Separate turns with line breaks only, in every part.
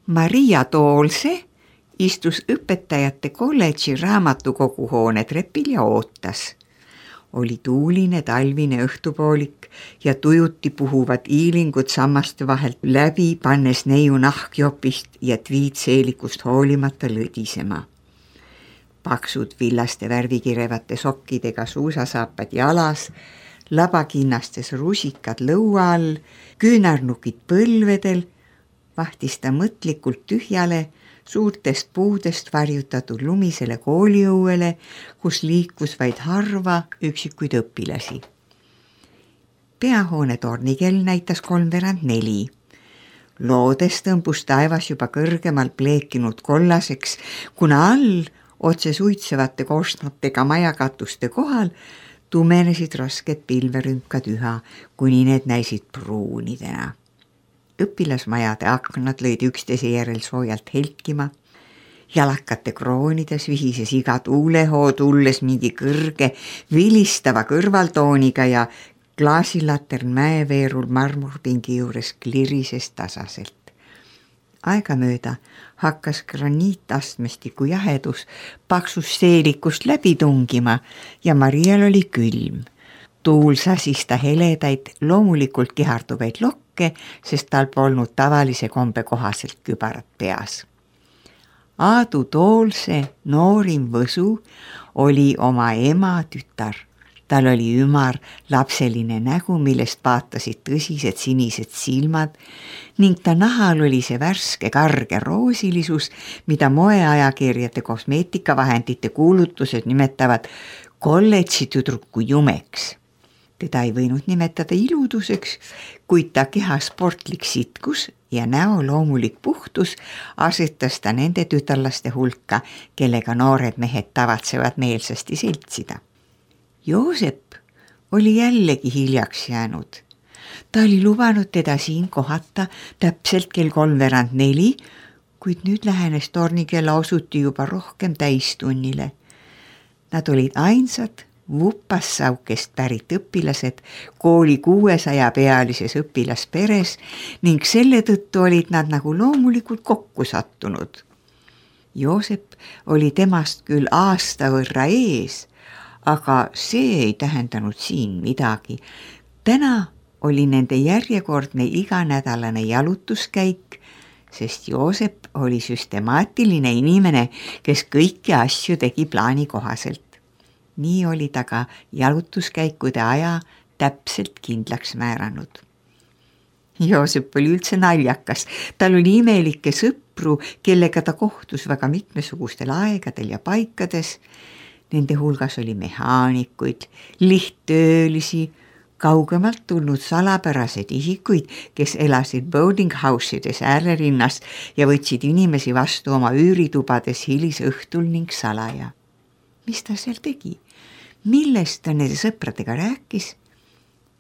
Maria Toolse istus õpetajate kolledži raamatukoguhoone trepil ja ootas. Oli tuuline talvine õhtupoolik ja tujuti puhuvad iilingud sammaste vahelt läbi, pannes neiu nahkjopist ja tviitseelikust hoolimata lõdisema. Paksud villaste värvikirevate sokkidega suusasaapad jalas, labakinnastes rusikad lõua all, küünarnukid põlvedel, vahtis ta mõtlikult tühjale, suurtest puudest varjutatud lumisele kooliõuele, kus liikus vaid harva üksikuid õpilasi. Peahoone tornikell näitas 3:15. Loodes tõmbus taevas juba kõrgemal pleekinud kollaseks, kuna all, otse suitsevate korstnatega majakatuste kohal, tumenesid rasked pilverünkad üha, kuni need näisid pruunidena. Õpilasmajade aknad lõid üksteise järel soojalt helkima, jalakate kroonides vihises iga tuulehoo tulles mingi kõrge vilistava kõrvaltooniga ja klaasilatern mäeveerul marmorpingi juures klirises tasaselt. Aegamööda hakkas graniitastmestiku jahedus paksust seelikust läbi tungima ja Marial oli külm. Tuul sasis ta heledaid, loomulikult kiharduvaid lokke, sest tal polnud tavalise kombe kohaselt kübarat peas. Aadu Toolse noorim võsu oli oma ema tütar. Tal oli ümar lapseline nägu, millest vaatasid tõsised sinised silmad ning ta nahal oli see värske karge roosilisus, mida moeajakirjade kosmeetikavahendite kuulutused nimetavad kolledži tüdruku jumeks. Teda ei võinud nimetada iluduseks, kuid ta keha sportlik sitkus ja näo loomulik puhtus asetas ta nende tütarlaste hulka, kellega noored mehed tavatsevad meelsasti seltsida. Joosep oli jällegi hiljaks jäänud. Ta oli lubanud teda siin kohata täpselt kell 3:15, kuid nüüd lähenes tornikella osuti juba rohkem täistunnile. Nad olid ainsad Vupassaukest pärit õpilased kooli 600-pealises õpilasperes ning selle tõttu olid nad nagu loomulikult kokku sattunud. Joosep oli temast küll aasta võrra ees, aga see ei tähendanud siin midagi. Täna oli nende järjekordne iganädalane jalutuskäik, sest Joosep oli süstemaatiline inimene, kes kõiki asju tegi plaani kohaselt. Nii oli ta ka jalutuskäikude aja täpselt kindlaks määranud. Joosep oli üldse naljakas, tal oli imelikke sõpru, kellega ta kohtus väga mitmesugustel aegadel ja paikades. Nende hulgas oli mehaanikuid, lihttöölisi, kaugemalt tulnud salapärased isikuid, kes elasid boarding houseides äärelinnas ja võtsid inimesi vastu oma üüritubades hilisõhtul ning salaja. Mis ta seal tegi? Millest ta nende sõpradega rääkis?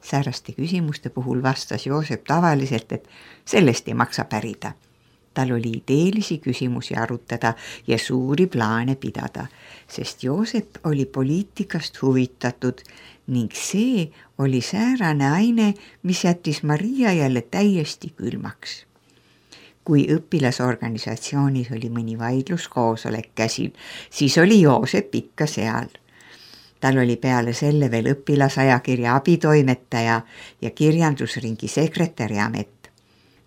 Sääraste küsimuste puhul vastas Joosep tavaliselt, et sellest ei maksa pärida. Tal oli ideelisi küsimusi arutada ja suuri plaane pidada, sest Joosep oli poliitikast huvitatud ning see oli säärane aine, mis jättis Maria jälle täiesti külmaks. Kui õpilasorganisatsioonis oli mõni vaidluskoosolek käsil, siis oli Joosep ikka seal. Tal oli peale selle veel õpilasajakirja abitoimetaja ja kirjandusringi sekretäri amet.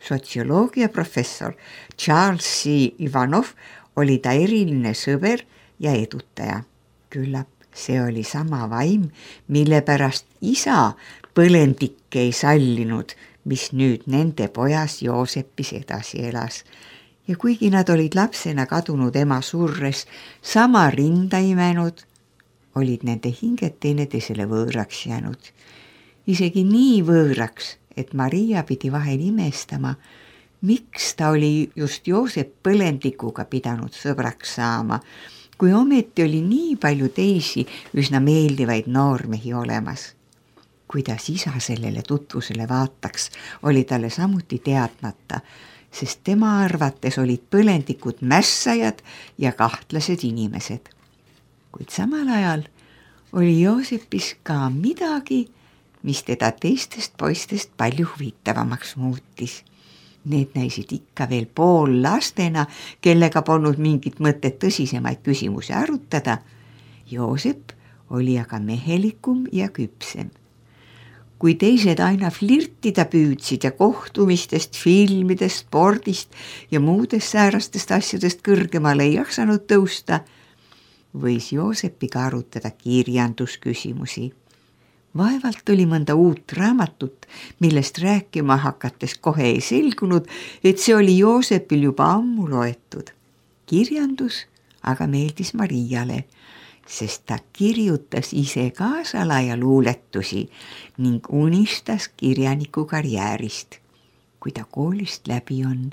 Sotsioloogia professor Charles C. Ivanov oli ta eriline sõber ja edutaja. Küllap see oli sama vaim, mille pärast isa põlendikke ei sallinud, mis nüüd nende pojas Joosepis edasi elas. Ja kuigi nad olid lapsena kadunud ema surres sama rinda imenud, olid nende hinged teineteisele võõraks jäänud. Isegi nii võõraks, et Maria pidi vahel imestama, miks ta oli just Joosep põlendikuga pidanud sõbraks saama, kui ometi oli nii palju teisi üsna meeldivaid noormehi olemas. Kuidas isa sellele tutvusele vaataks, oli talle samuti teadmata, sest tema arvates olid põlendikud mässajad ja kahtlased inimesed. Kuid samal ajal oli Joosepis ka midagi, mis teda teistest poistest palju huvitavamaks muutis. Need näisid ikka veel poollastena, kellega polnud mingit mõtet tõsisemaid küsimusi arutada. Joosep oli aga mehelikum ja küpsem. Kui teised aina flirtida püüdsid ja kohtumistest, filmidest, spordist ja muudest säärastest asjadest kõrgemale ei jaksanud tõusta, võis Joosepiga arutada kirjandusküsimusi. Vaevalt oli mõnda uut raamatut, millest rääkima hakates kohe ei selgunud, et see oli Joosepil juba ammu loetud. Kirjandus aga meeldis Mariale, sest ta kirjutas ise ka salajaluuletusi ning unistas kirjaniku karjäärist. Kui ta koolist läbi on,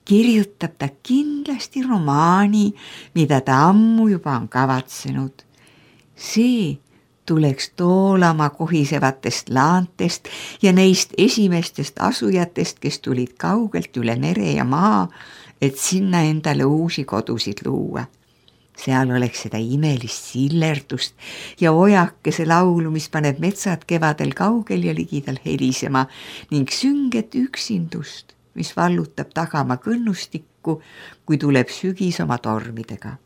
kirjutab ta kindlasti romaani, mida ta ammu juba on kavatsenud. See tuleks Toolamaa kohisevatest laantest ja neist esimestest asujatest, kes tulid kaugelt üle mere ja maa, et sinna endale uusi kodusid luua. Seal oleks seda imelist sillerdust ja ojakese laulu, mis paneb metsad kevadel kaugel ja ligidal helisema ning sünget üksindust, mis vallutab tagama kõnnustikku, kui tuleb sügis oma tormidega.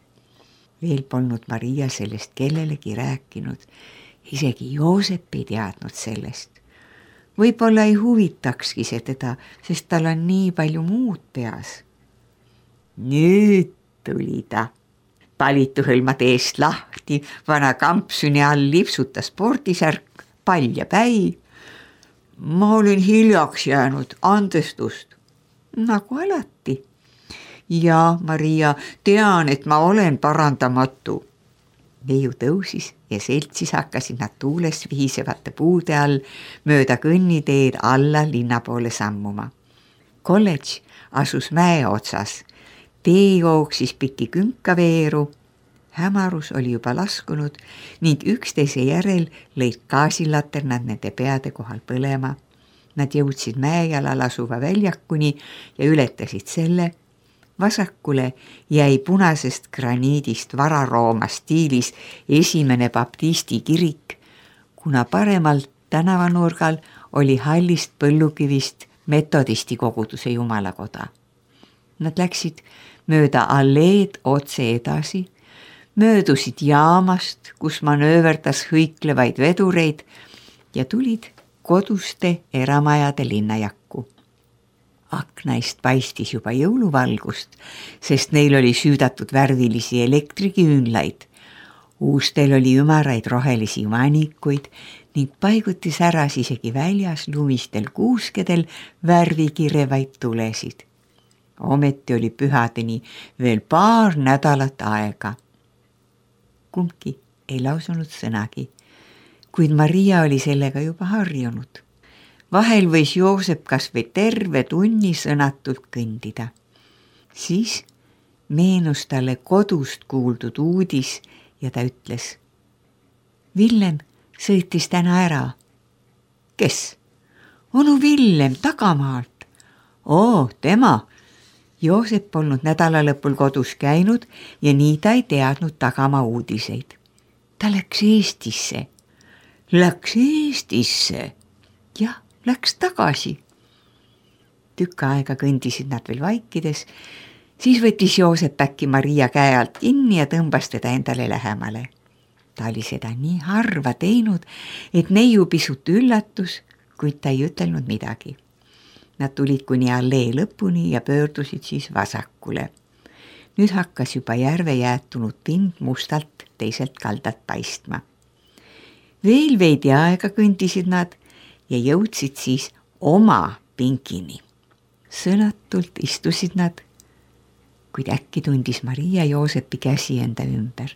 Veel polnud Maria sellest kellelegi rääkinud, isegi Joosep ei teadnud sellest. Võib-olla ei huvitakski see teda, sest tal on nii palju muud peas. Nüüd tuli ta. Palitu hõlmad eest lahti, vana kampsuni all lipsutas spordisärk, pall ja päi. Ma olen hiljaks jäänud, andestust. Nagu alati. Ja Maria, tean, et ma olen parandamatu. Neiu tõusis ja seltsis hakkasid nad tuules vihisevate puude all mööda kõnniteed alla linna poole sammuma. Kolledž asus mäe otsas. Tee jooksis piki künkaveeru. Hämarus oli juba laskunud ning üksteise järel lõid gaasilaternad nende peade kohal põlema. Nad jõudsid mäejalal asuva väljakuni ja ületasid selle. Vasakule jäi punasest graniidist Vara-Rooma stiilis esimene baptisti kirik, kuna paremal tänavanurgal oli hallist põllukivist metodisti koguduse jumalakoda. Nad läksid mööda alleed otse edasi, möödusid jaamast, kus manööverdas hõiklevaid vedureid ja tulid koduste eramajade linnajakku. Aknaist paistis juba jõuluvalgust, sest neil oli süüdatud värvilisi elektriküünlaid. Uustel oli ümaraid rohelisi manikuid ning paiguti säras isegi väljas lumistel kuuskedel värvikirevaid tulesid. Ometi oli pühadeni veel paar nädalat aega. Kumbki ei lausunud sõnagi, kuid Maria oli sellega juba harjunud. Vahel võis Joosep kas või terve tunni sõnatult kõndida. Siis meenus talle kodust kuuldud uudis ja ta ütles: Villem sõitis täna ära. Kes? Onu Villem tagamaalt. Oo, tema. Joosep polnud nädalalõpul kodus käinud ja nii ta ei teadnud tagamaa uudiseid. Ta läks Eestisse. Läks Eestisse? Jah. Läks tagasi. Tükk aega kõndisid nad veel vaikides, siis võttis Joosep äkki Maria käe alt kinni ja tõmbas teda endale lähemale. Ta oli seda nii harva teinud, et neiu pisut üllatus, kuid ta ei ütelnud midagi. Nad tulid kuni allee lõpuni ja pöördusid siis vasakule. Nüüd hakkas juba järve jäätunud pind mustalt teiselt kaldalt paistma. Veel veidi aega kõndisid nad ja jõudsid siis oma pinkini. Sõnatult istusid nad, kuid äkki tundis Maria Joosepi käsi enda ümber.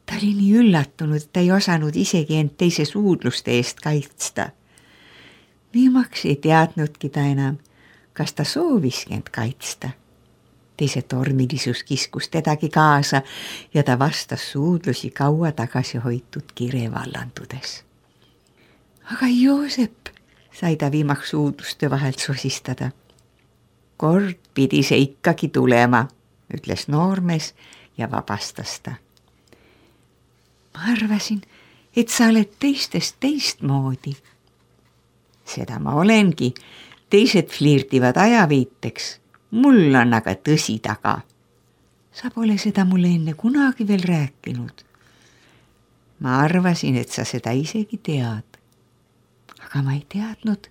Ta oli nii üllatunud, et ta ei osanud isegi end teise suudluste eest kaitsta. Viimaks ei teadnudki ta enam, kas ta sooviski end kaitsta. Teise tormilisus kiskus tedagi kaasa ja ta vastas suudlusi kaua tagasi hoitud kire vallandudes. Aga Joosep, sai ta viimaks suudluste vahelt sosistada. Kord pidi see ikkagi tulema, ütles noormees ja vabastas ta. Ma arvasin, et sa oled teistest teistmoodi. Seda ma olengi. teised flirtivad ajaviiteks, mul on aga tõsi taga. Sa pole seda mulle enne kunagi veel rääkinud. Ma arvasin, et sa seda isegi tead. Aga ma ei teadnud.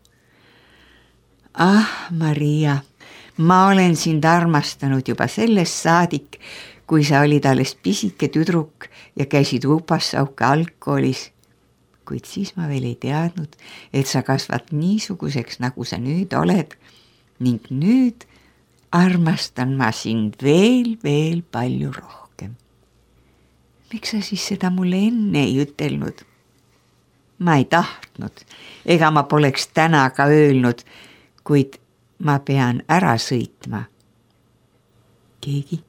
Maria, ma olen sind armastanud juba sellest saadik, kui sa olid alles pisike tüdruk ja käisid Upassauke algkoolis. Kuid siis ma veel ei teadnud, et sa kasvad niisuguseks, nagu sa nüüd oled, ning nüüd armastan ma sind veel palju rohkem. Miks sa siis seda mulle enne ei ütelnud? Ma ei tahtnud, ega ma poleks täna ka öelnud, kuid ma pean ära sõitma. Keegi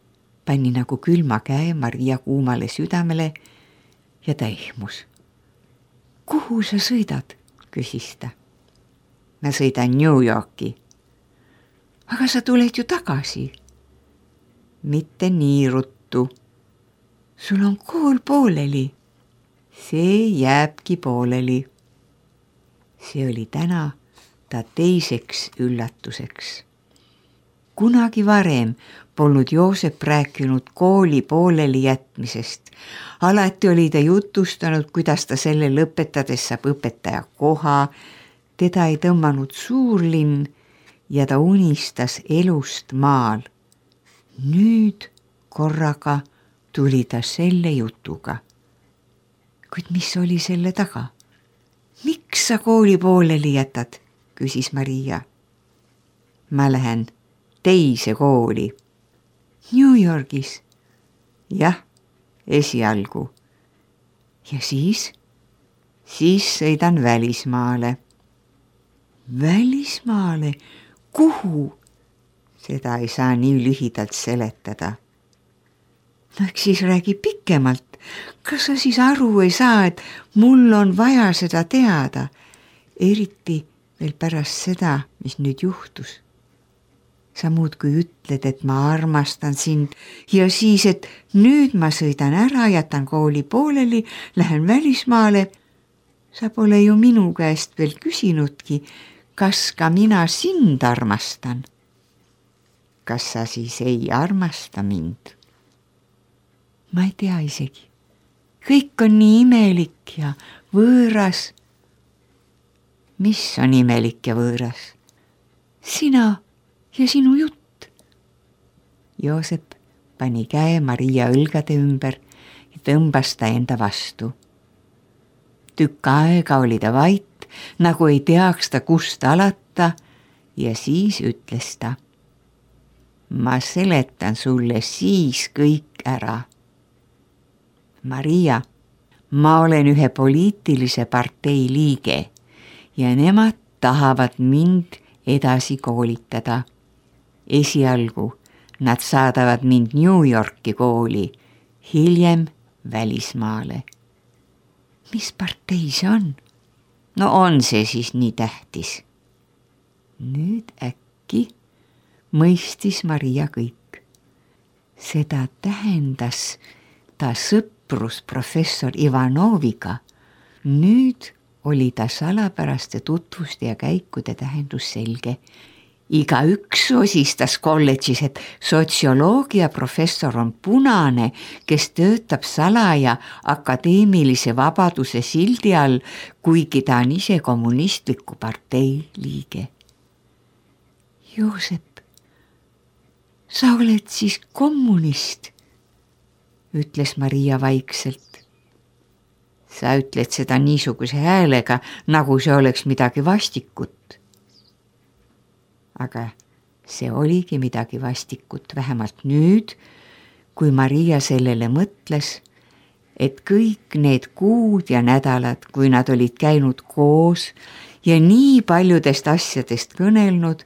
pani nagu külma käe Maria kuumale südamele ja ta ehmus. Kuhu sa sõidad? Küsis ta. Ma sõidan New Yorki. Aga sa tuled ju tagasi. Mitte nii ruttu. Sul on kool pooleli. See jääbki pooleli. See oli täna ta teiseks üllatuseks. Kunagi varem polnud Joosep rääkinud kooli pooleli jätmisest. Alati oli ta jutustanud, kuidas ta selle lõpetades saab õpetaja koha, teda ei tõmmanud suurlinn ja ta unistas elust maal. Nüüd korraga tuli ta selle jutuga. Kuid mis oli selle taga? Miks sa kooli pooleli jätad? Küsis Maria. Ma lähen teise kooli. New Yorgis? Jah, esialgu. Ja siis? Siis sõidan välismaale. Välismaale? Kuhu? Seda ei saa nii lühidalt seletada. No eks siis räägi pikemalt. Kas sa siis aru ei saa, et mul on vaja seda teada? Eriti veel pärast seda, mis nüüd juhtus. Sa muudkui ütled, et ma armastan sind ja siis, et nüüd ma sõidan ära, jätan kooli pooleli, lähen välismaale. Sa pole ju minu käest veel küsinudki, kas ka mina sind armastan. Kas sa siis ei armasta mind? Ma ei tea isegi. Kõik on nii imelik ja võõras. Mis on imelik ja võõras? Sina ja sinu jutt. Joosep pani käe Maria õlgade ümber ja tõmbas ta enda vastu. Tükk aega oli ta vait, nagu ei teaks ta kust alata ja siis ütles ta. Ma seletan sulle siis kõik ära. Maria, ma olen ühe poliitilise partei liige ja nemad tahavad mind edasi koolitada. Esialgu nad saadavad mind New Yorki kooli, hiljem välismaale. Mis partei see on? No on see siis nii tähtis? Nüüd äkki mõistis Maria kõik. Seda tähendas ta sõprus professor Ivanoviga. Nüüd oli ta salapäraste tutvuste ja käikude tähendus selge. Igaüks osistas kolledžis, et sotsioloogia professor on punane, kes töötab salaja akadeemilise vabaduse sildi all, kuigi ta on ise kommunistliku partei liige. Joosep, sa oled siis kommunist, ütles Maria vaikselt. Sa ütled seda niisuguse häälega, nagu see oleks midagi vastikut. Aga see oligi midagi vastikut, vähemalt nüüd, kui Maria sellele mõtles, et kõik need kuud ja nädalad, kui nad olid käinud koos ja nii paljudest asjadest kõnelnud,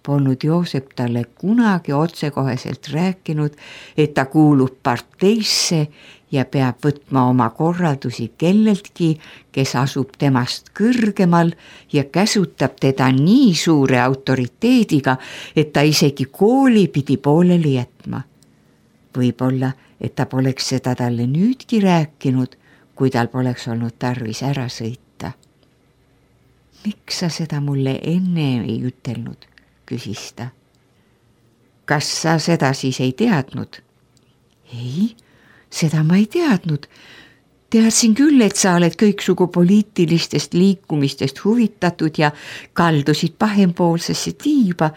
polnud Joosep talle kunagi otsekoheselt rääkinud, et ta kuulub parteisse ja peab võtma oma korraldusi kelleltki, kes asub temast kõrgemal ja käsutab teda nii suure autoriteediga, et ta isegi kooli pidi pooleli jätma. Võib-olla, et ta poleks seda talle nüüdki rääkinud, kui tal poleks olnud tarvis ära sõita. Miks sa seda mulle enne ei ütelnud, küsis ta. Kas sa seda siis ei teadnud? Ei, seda ma ei teadnud. Teadsin küll, et sa oled kõiksugu poliitilistest liikumistest huvitatud ja kaldusid pahempoolsesse tiiba,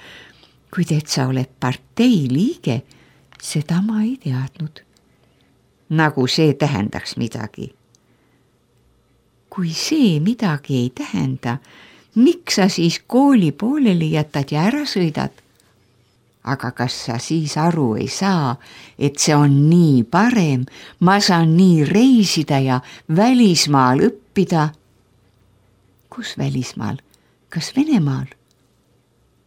kuid et sa oled partei liige, seda ma ei teadnud. Nagu see tähendaks midagi. Kui see midagi ei tähenda, miks sa siis kooli pooleli jätad ja ära sõidad? Aga kas sa siis aru ei saa, et see on nii parem, ma saan nii reisida ja välismaal õppida? Kus välismaal? Kas Venemaal?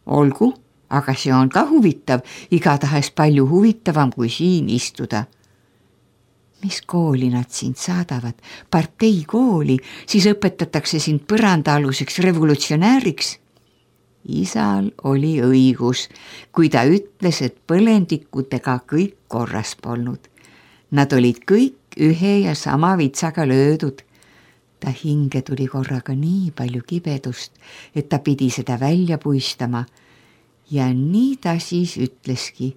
Olgu, aga see on ka huvitav, igatahes palju huvitavam kui siin istuda. Mis kooli nad sind saadavad? Parteikooli, siis õpetatakse sind põrandaaluseks revolutsionääriks. Isal oli õigus, kui ta ütles, et põlendikutega kõik korras polnud. Nad olid kõik ühe ja sama vitsaga löödud. Ta hinge tuli korraga nii palju kibedust, et ta pidi seda välja puistama. Ja nii ta siis ütleski,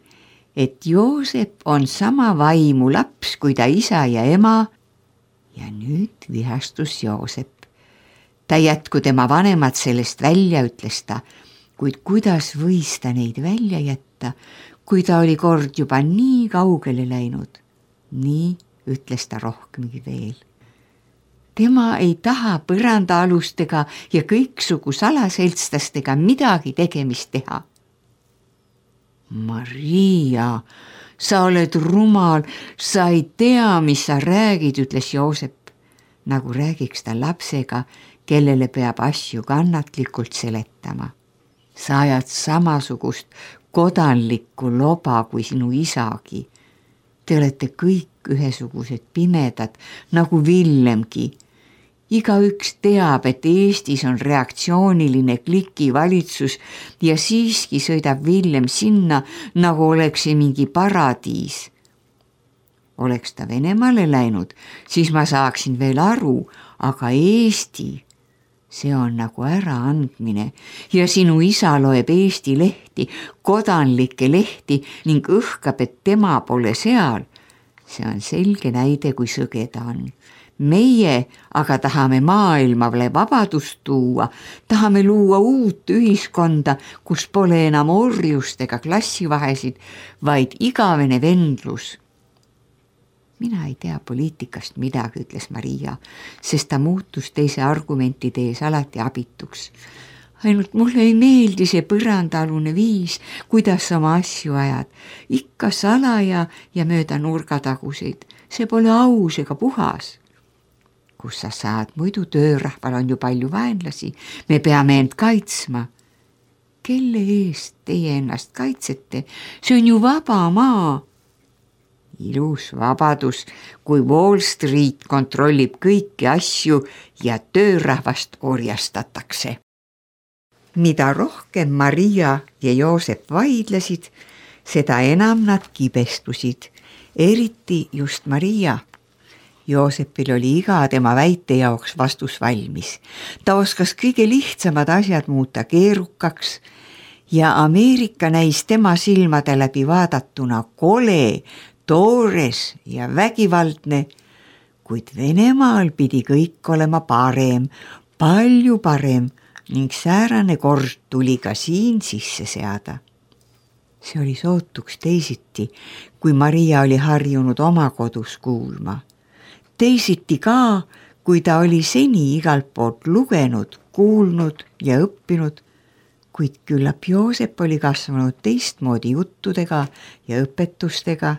et Joosep on sama vaimu laps kui ta isa ja ema. Ja nüüd vihastus Joosep. Ta jätku tema vanemad sellest välja, ütles ta, kuid kuidas võis ta neid välja jätta, kui ta oli kord juba nii kaugele läinud. Nii ütles ta rohkemgi veel. Tema ei taha põrandaalustega ja kõiksugu salaseltstastega midagi tegemist teha. Maria, sa oled rumal, sa ei tea, mis sa räägid, ütles Joosep, nagu räägiks ta lapsega, kellele peab asju kannatlikult seletama. Sa ajad samasugust kodanlikku loba kui sinu isagi. Te olete kõik ühesugused pimedad, nagu Villemgi. Igaüks teab, et Eestis on reaktsiooniline klikivalitsus ja siiski sõidab Villem sinna, nagu oleks see mingi paradiis. Oleks ta Venemaale läinud, siis ma saaksin veel aru, aga Eesti, see on nagu äraandmine ja sinu isa loeb Eesti lehti, kodanlikke lehti ning õhkab, et tema pole seal. See on selge näide, kui sõge ta on. Meie aga tahame maailmale vabadust tuua, tahame luua uut ühiskonda, kus pole enam orjust ega klassivahesid, vaid igavene vendlus. Mina ei tea poliitikast midagi, ütles Maria, sest ta muutus teise argumentide ees alati abituks. Ainult mulle ei meeldi see põrandaalune viis, kuidas oma asju ajad. Ikka salaja ja mööda nurgataguseid. See pole aus ega puhas. Kus sa saad, muidu töörahval on ju palju vaenlasi. Me peame end kaitsma. Kelle eest teie ennast kaitsete? See on ju vaba maa. Ilus vabadus, kui Wall Street kontrollib kõiki asju ja töörahvast orjastatakse. Mida rohkem Maria ja Joosep vaidlesid, seda enam nad kibestusid, eriti just Maria. Joosepil oli iga tema väite jaoks vastus valmis. Ta oskas kõige lihtsamad asjad muuta keerukaks ja Ameerika näis tema silmade läbi vaadatuna kole, toores ja vägivaldne, kuid Venemaal pidi kõik olema parem, palju parem ning säärane kord tuli ka siin sisse seada. See oli sootuks teisiti, kui Maria oli harjunud oma kodus kuulma. Teisiti ka, kui ta oli seni igalt poolt lugenud, kuulnud ja õppinud, kuid küllap Joosep oli kasvanud teistmoodi juttudega ja õpetustega.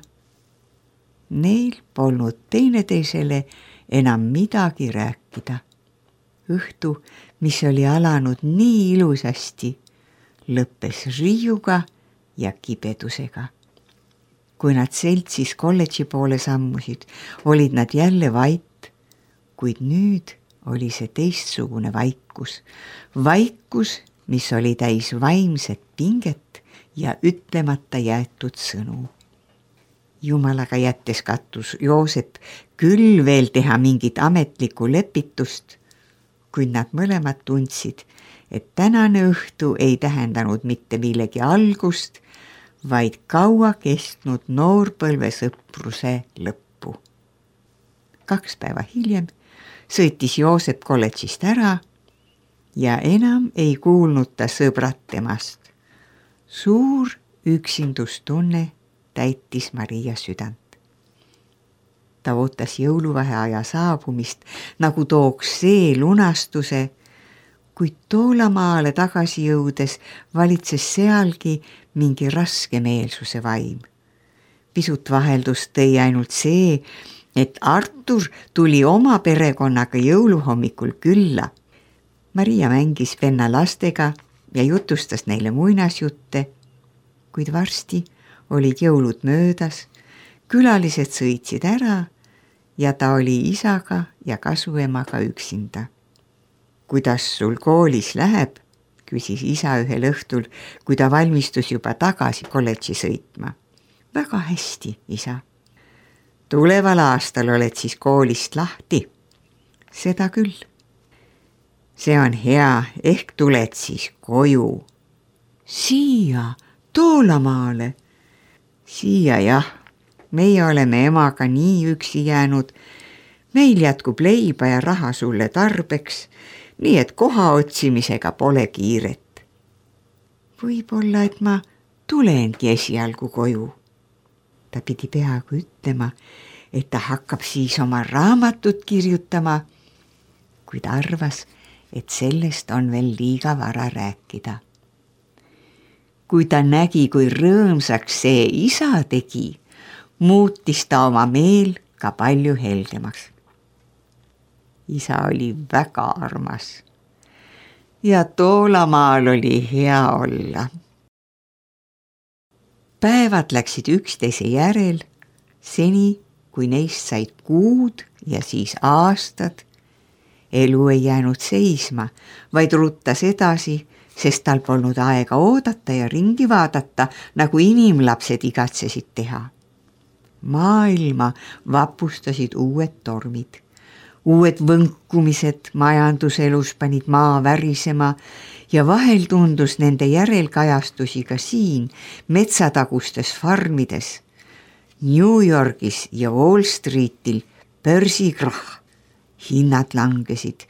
Neil polnud teineteisele enam midagi rääkida. Õhtu, mis oli alanud nii ilusasti, lõppes riiuga ja kibedusega. Kui nad seltsis kolledži poole sammusid, olid nad jälle vait, kuid nüüd oli see teistsugune vaikus. Vaikus, mis oli täis vaimset pinget ja ütlemata jäetud sõnu. Jumalaga jättes kattus Joosep küll veel teha mingit ametlikku lepitust, kuid nad mõlemad tundsid, et tänane õhtu ei tähendanud mitte millegi algust, vaid kaua kestnud noorpõlve sõpruse lõppu. 2 päeva hiljem sõitis Joosep kolledžist ära ja enam ei kuulnud ta sõbrad temast. Suur üksindustunne täitis Maria südant. Ta ootas jõuluvaheaja saabumist, nagu tooks see lunastuse, kuid Toolamaale tagasi jõudes valitses sealgi mingi raskemeelsuse vaim. Pisut vaheldust tõi ainult see, et Artur tuli oma perekonnaga jõuluhommikul külla. Maria mängis venna lastega ja jutustas neile muinasjutte, kuid varsti olid jõulud möödas, külalised sõitsid ära ja ta oli isaga ja kasuemaga üksinda. Kuidas sul koolis läheb, küsis isa ühel õhtul, kui ta valmistus juba tagasi kolledži sõitma. Väga hästi, isa. Tuleval aastal oled siis koolist lahti? Seda küll. See on hea, ehk tuled siis koju. Siia, Toolamaale. Siia jah, meie oleme emaga nii üksi jäänud. Meil jätkub leiba ja raha sulle tarbeks, nii et koha otsimisega pole kiiret. Võib-olla, et ma tulengi esialgu koju. Ta pidi peaaegu ütlema, et ta hakkab siis oma raamatut kirjutama, kuid arvas, et sellest on veel liiga vara rääkida. Kui ta nägi, kui rõõmsaks see isa tegi, muutis ta oma meel ka palju heldemaks. Isa oli väga armas ja Toolamaal oli hea olla. Päevad läksid üksteise järel, seni kui neist said kuud ja siis aastad. Elu ei jäänud seisma, vaid ruttas edasi, sest tal polnud aega oodata ja ringi vaadata, nagu inimlapsed igatsesid teha. Maailma vapustasid uued tormid. Uued võnkumised majanduselus panid maa värisema ja vahel tundus nende järelkajastusi ka siin metsatagustes farmides. New Yorgis ja Wall Streetil börsikrahh, hinnad langesid,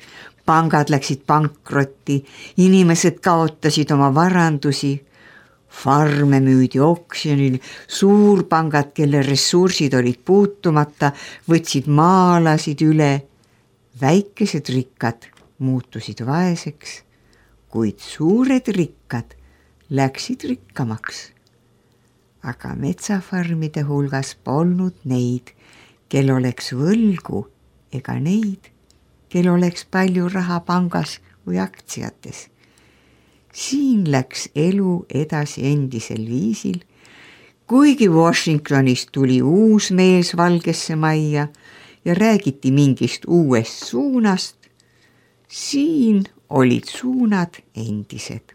pangad läksid pankrotti, inimesed kaotasid oma varandusi, farme müüdi oksjonil, suurpangad, kelle ressursid olid puutumata, võtsid maalasid üle. Väikesed rikkad muutusid vaeseks, kuid suured rikkad läksid rikkamaks. Aga metsafarmide hulgas polnud neid, kel oleks võlgu, ega neid, kel oleks palju raha pangas või aktsiates. Siin läks elu edasi endisel viisil, kuigi Washingtonist tuli uus mees Valgesse Majja ja räägiti mingist uuest suunast, siin olid suunad endised.